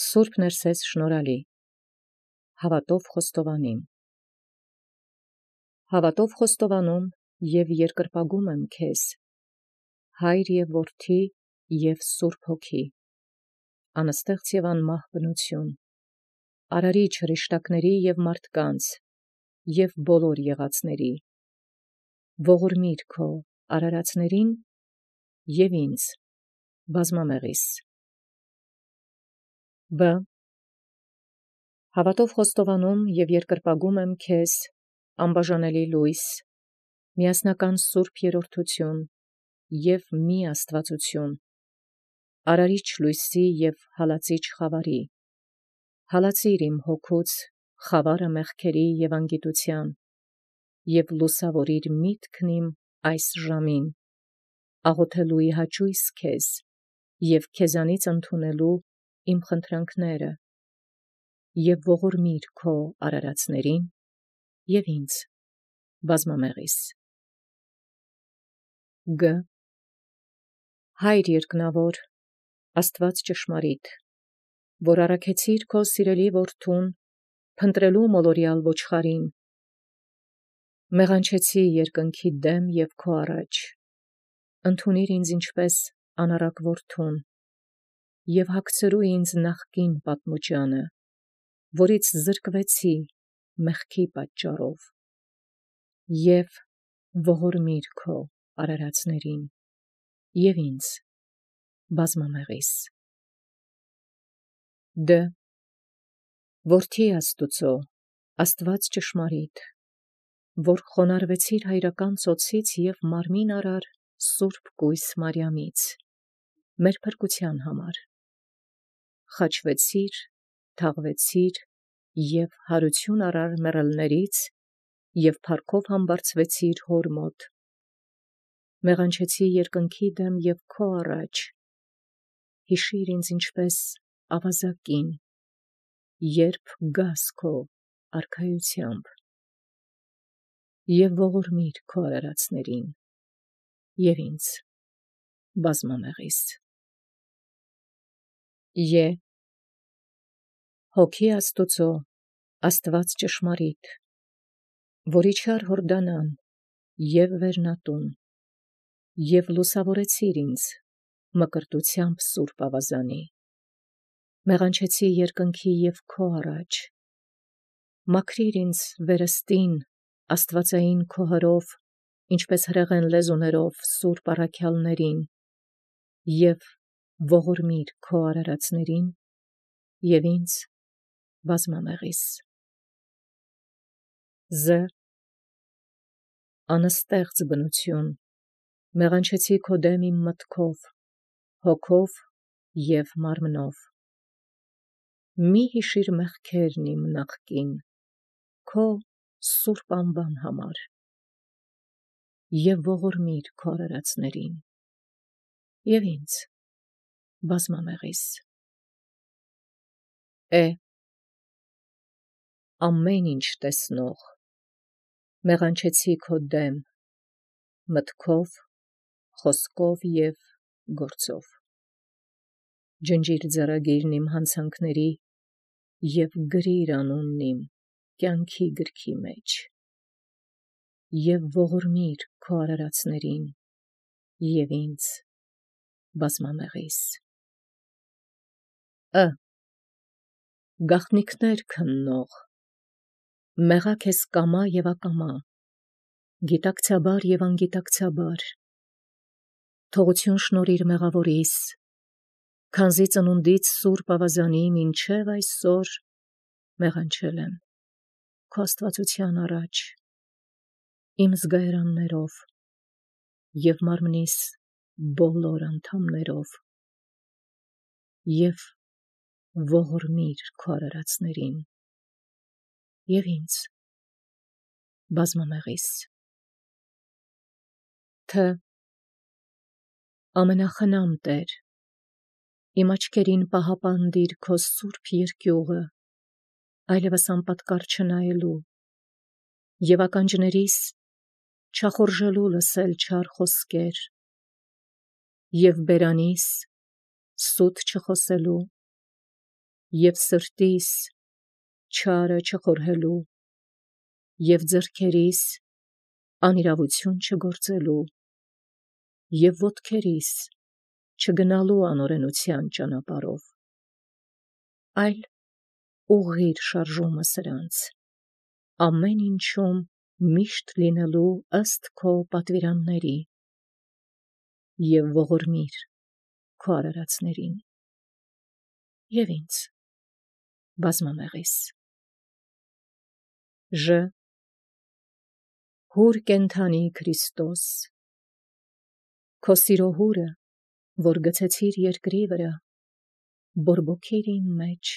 Սուրբ ներսես շնորհալի, հավատով խոստովանիմ։ Հավատով խոստովանում և երկրպագում եմ քեզ, Հայր և Որդի և Սուրբ Հոգի, անստեղծ և անմահ բնություն, Արարիչ հրեշտակների և մարդկանց և բոլոր եղածների, ողորմիր քո արարածներին և ինձ բազմամեղիս։ Բ. Հավատով խոստովանում և երկրպագում եմ քեզ, անբաժանելի լույս, միասնական Սուրբ Երրորդություն և մի Աստվածություն, Արարիչ լույսի և հալածիչ խավարի, հալածիր իմ հոգուց խավարը մեղքերի և անգիտության և լուսավորիր միտքն իմ այս ժամին, աղոթելու ի հաճույս քեզ և քեզանից ընդունելու իմ խնդրանքները, և ողորմիր քո արարածներին և ինձ բազմամեղիս։ Գ. Հայր երկնավոր, Աստված ճշմարիտ, որ առաքեցիր քո սիրելի որդուն փնտրելու մոլորյալ ոչխարին, մեղանչեցի երկնքի դեմ և քո առաջ, ընդունիր ինձ ինչպես անառակ որդուն և հագցրու ինձ նախկին պատմուճանը, որից զրկվեցի մեղքի պատճառով, և ողորմիր քո արարածներին և ինձ բազմամեղիս։ Դ. Որդի Աստուծո, Աստված ճշմարիտ, որ խոնարհվեցիր հայրական ծոցից և մարմին արար Սուրբ կույս Մարիամից, մեր փրկության համար, խաչվեցիր, թաղվեցիր և հարություն առար մեռելներից և փառքով համբարձվեցիր հոր մոտ, մեղանչեցի երկնքի դեմ և քո առաջ, հիշիր ինձ ինչպես ավազակին, երբ գաս քո արքայությամբ, և ողորմիր քո արարածներին և ինձ բազմամեղիս։ Ե. Հոգի Աստուծո, Աստված ճշմարիտ, որ իջար Հորդանան և Վերնատուն և լուսավորեցիր ինձ մկրտությամբ սուրբ ավազանի, մեղանչեցի երկնքի և քո առաջ, մաքրիր ինձ վերստին աստվածային քո հրով, ինչպես հրեղեն լեզուներով սուրբ առաքյալներին, և ողորմիր քո արարածներին և ինձ բազմամեղիս։ Զ. Անստեղծ բնություն, մեղանչեցի քո դեմ իմ մտքով, հոգով և մարմնով, մի հիշիր մեղքերն իմ նախկին, քո սուրբ անվան համար, և ողորմիր քո արարածներին և ինձ բազմամեղիս։ Է. Ամեն ինչ տեսնող, մեղանչեցի քո դեմ մտքով, խոսքով և գործով, ջնջիր ձեռագիրն իմ հանցանքների և գրիր անունն իմ կյանքի գրքի մեջ, և ողորմիր քո արարածներին և ինձ բազմամեղիս։ Ը. Գաղտնիքներ քննող, մեղա քեզ կամա և ակամա, գիտակցաբար և անգիտակցաբար, թողություն շնորհիր մեղավորիս, քանզի ծնունդից սուրբ ավազանի մինչև այսօր մեղանչել եմ քո աստվածության առաջ, իմ զգայարաններով և մարմնիս բոլոր անդամներով, և ողորմիր քո արարածներին և ինձ բազմամեղիս։ Թ. Ամենախնամ Տեր, իմ աչքերին պահապանդիր քո սուրբ երկյուղը, այլևս անպատկառ չնայելու և ականջներիս չախորժելու լսել չար խոսքեր և բերանիս սուտ չխոսելու և սրտիս չարը չխորհելու, և ձեռքերիս անիրավություն չգործելու, և ոտքերիս չգնալու անօրենության ճանապարհով, այլ ուղղիր շարժումը սրանց, ամեն ինչում միշտ լինելու ըստ քո պատվիրանների, և ողորմիր քո արարածներին, և ինձ բազմամեղիս։ Ժ. Հուր կենդանի Քրիստոս, քո սիրո հուրը, որ գցեցիր երկրի վրա, բորբոքիր իմ մեջ,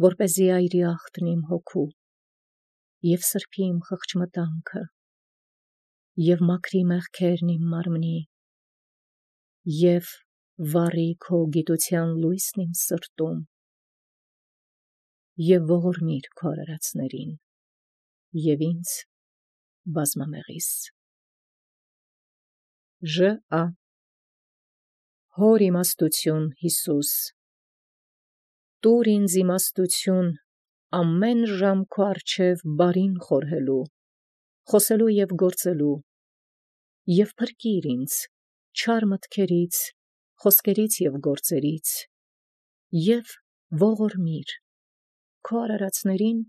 որպեսզի այրի ախտն իմ հոգու, և սրբի իմ խղճմտանքը, և մաքրի մեղքերն իմ մարմնի, և վառի քո գիտության լույսն իմ սրտում, և ողորմիր քո արարածներին, և ինձ բազմամեղիս։ Ժ. Հոր իմաստություն Հիսուս, տուր ինձ իմաստություն ամեն ժամ քո առջև բարին խորհելու, խոսելու և գործելու, և փրկիր ինձ չար մտքերից, խոսքերից և գործերից, և ողորմիր քո արարածներին,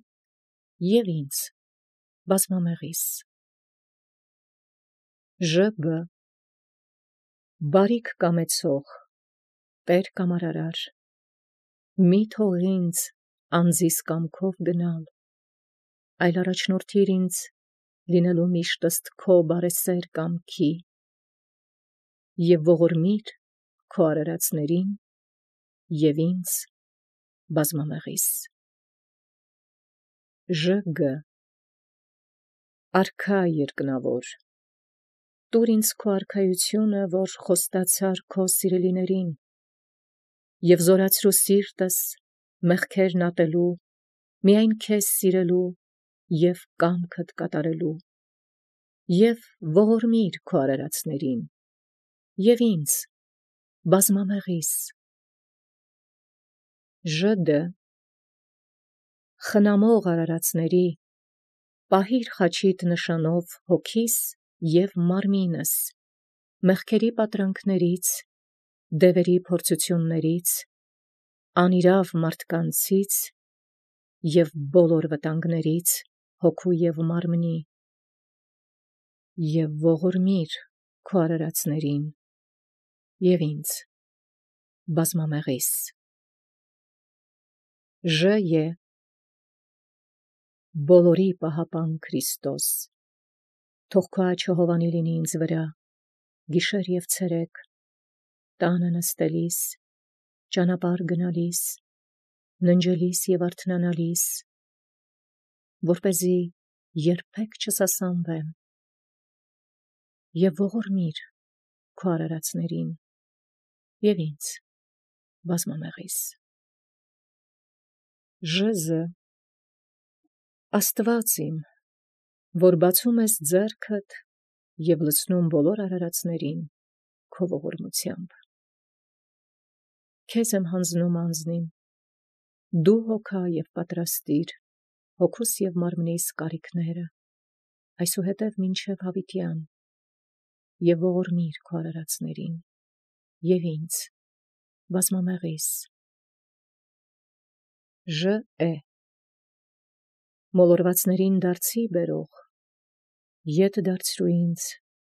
և ինձ բազմամեղիս։ Ժ. Բարիք կամեցող Տեր կամ արարար, մի թող ինձ անձիս կամքով գնալ, այլ առաջնորդիր ինձ լինելու միշտ ըստ քո բարեսեր կամքի, և ողորմիր քո արարածներին, և ինձ բազմամեղիս։ Ժ. Արքա երկնավոր, տուր ինձ քո արքայությունը, որ խոստացար քո սիրելիներին, և զորացրու սիրտս մեղքերն ատելու, միայն քեզ սիրելու և կամքդ կատարելու, և ողորմիր քո արարածներին, և ինձ բազմամեղիս։ Ժ. Խնամող արարածների, պահիր խաչիդ նշանով հոգիս և մարմինս մեղքերի պատրանքներից, դևերի փորձություններից, անիրավ մարդկանցից և բոլոր վտանգներից հոգու և մարմնի, և ողորմիր քո արարածներին, և ինձ բազմամեղիս։ Ժ. Բոլորի պահապան Քրիստոս, թող քո աջը հովանի լինի ինձ վրա, գիշեր և ցերեկ, տանը նստելիս, ճանապարհ գնալիս, ննջելիս և արթնանալիս, որպեսզի երբեք չսասանվեմ, և ողորմիր քո արարածներին, և ինձ բազմամեղիս։ Ժ. Աստված իմ, որ բացում ես ձեռքդ և լցնում բոլոր արարածներին քո ողորմությամբ, քեզ եմ հանձնում անձնիմ, դու հոգա և պատրաստիր հոգուս և մարմնիս կարիքները, այսուհետև մինչև հավիտյան, և ողորմիր քո արարածներին, և ինձ բազմամեղիս։ Ժ. Մոլորվածներին դարձի բերող, ետ դարձրու ինձ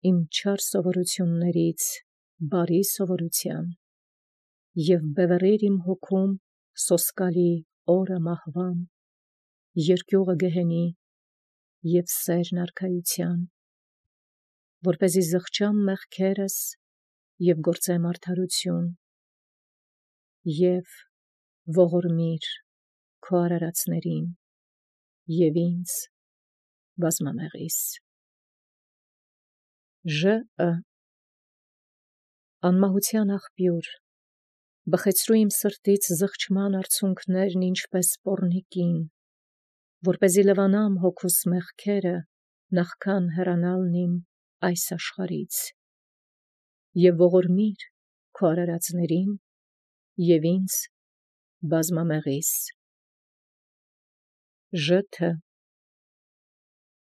իմ չար սովորություններից բարի սովորության, և բևեռիր իմ հոգում սոսկալի օրը մահվան, երկյուղը գեհենի և սերն արքայության, որպեսզի զղջամ մեղքերս և գործեմ արդարություն, և ողորմիր քո արարածներին, և ինձ բազմամեղիս։ Ժ. Անմահության աղբյուր, բխեցրու իմ սրտից զղջման արցունքներն ինչպես պոռնիկին, որպեսզի լվանամ հոգուս մեղքերը նախքան հեռանալն իմ այս աշխարհից, և ողորմիր քո արարածներին, և ինձ բազմամեղիս, ժթը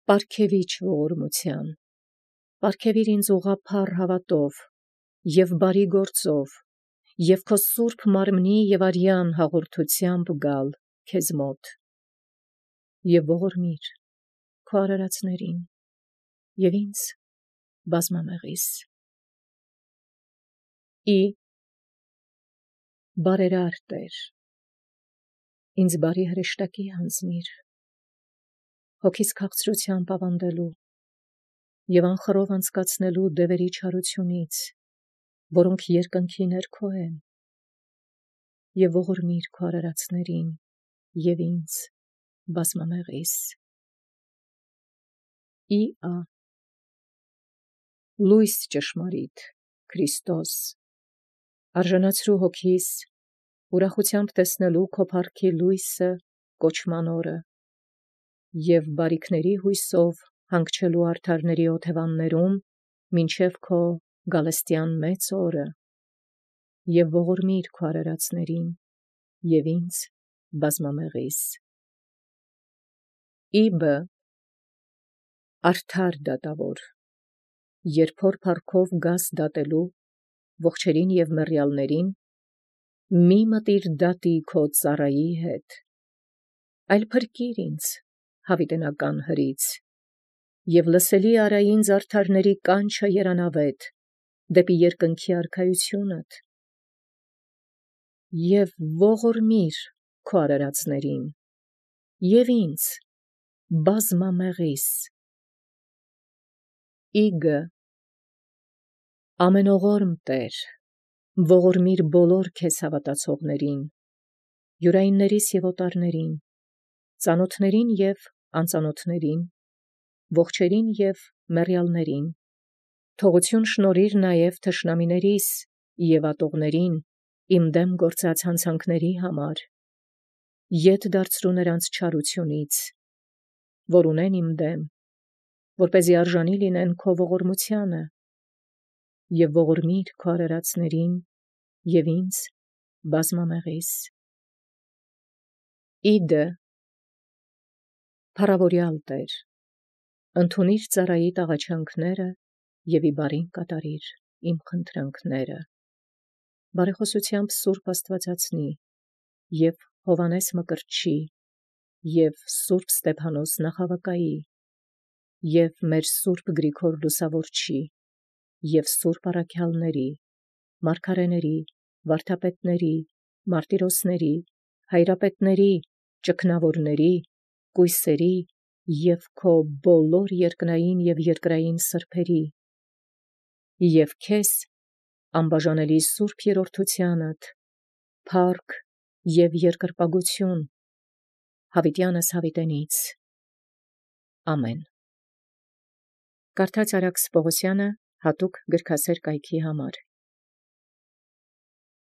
պարգևիչ ողորմության, պարգևիր ինձ ուղղափառ հավատով և բարի գործով և քո սուրբ մարմնի և արյան հաղորդությամբ գալ քեզ մոտ և ողորմիր քո արարածներին և ինձ բազմամեղիս։ Բարերար Տեր, ինձ բարի հրեշտակի հանձնիր, հոգիս քաղցրությամբ ավանդելու և անխռով անցկացնելու դևերի չարությունից, որոնք երկնքի ներքո են, և ողորմիր քո արարածներին և ինձ բազմամեղիս։ Լույս ճշմարիտ Քրիստոս, արժանացրու հոգիս ուրախությամբ տեսնելու քո փառքի լույսը կոչման օրը և բարիքների հույսով հանգչելու արդարների օթևաններում մինչև քո գալստյան մեծ օրը և ողորմիր քո արարածներին և ինձ բազմամեղիս։ Արդար դատավոր, երբ հոր փառքով գաս դատելու ողջերին և մեռյալներին, մի մտիր դատի քո ծառայի հետ, այլ փրկիր ինձ հավիտենական հրից և լսելի արա ինձ արդարների կանչը երանավետ դեպի երկնքի արքայությունդ և ողորմիր քո արարածներին և ինձ բազմամեղիս։ Ամենողորմ Տեր, ողորմիր բոլոր քեզ հավատացողներին, յուրայիններիս և օտարներին, ծանոթներին և անծանոթներին, ողջերին և մեռյալներին, թողություն շնորհիր նաև թշնամիներիս և ատողներին իմ դեմ գործած հանցանքների համար, ետ դարձրու նրանց չարությունից, որ ունեն իմ դեմ, որպեսզի արժանի լինեն քո ողորմությանը, և ողորմիր քո արարածներին և ինձ բազմամեղիս։ Փառավորյալ Տեր, ընդունիր ծառայիդ աղաչանքները և ի բարին կատարիր իմ խնդրանքները։ Բարեխոսությամբ Սուրբ Աստվածածնի և Հովհաննես Մկրտչի և Սուրբ Ստեփանոս Նախավկայի և մեր Սուրբ Գրիգոր Լուսավորչի և սուրբ առաքյալների, մարգարեների, վարդապետների, մարտիրոսների, հայրապետների, ճգնավորների, կույսերի և քո բոլոր երկնային և երկրային սրբերի և քեզ անբաժանելի սուրբ երրորդությանդ փառք և երկրպագություն հավիտյանս հավիտենից։ Ամեն։ Կարդաց Արաքս Պողոսյանը հատուկ գրքասեր կայքի համար։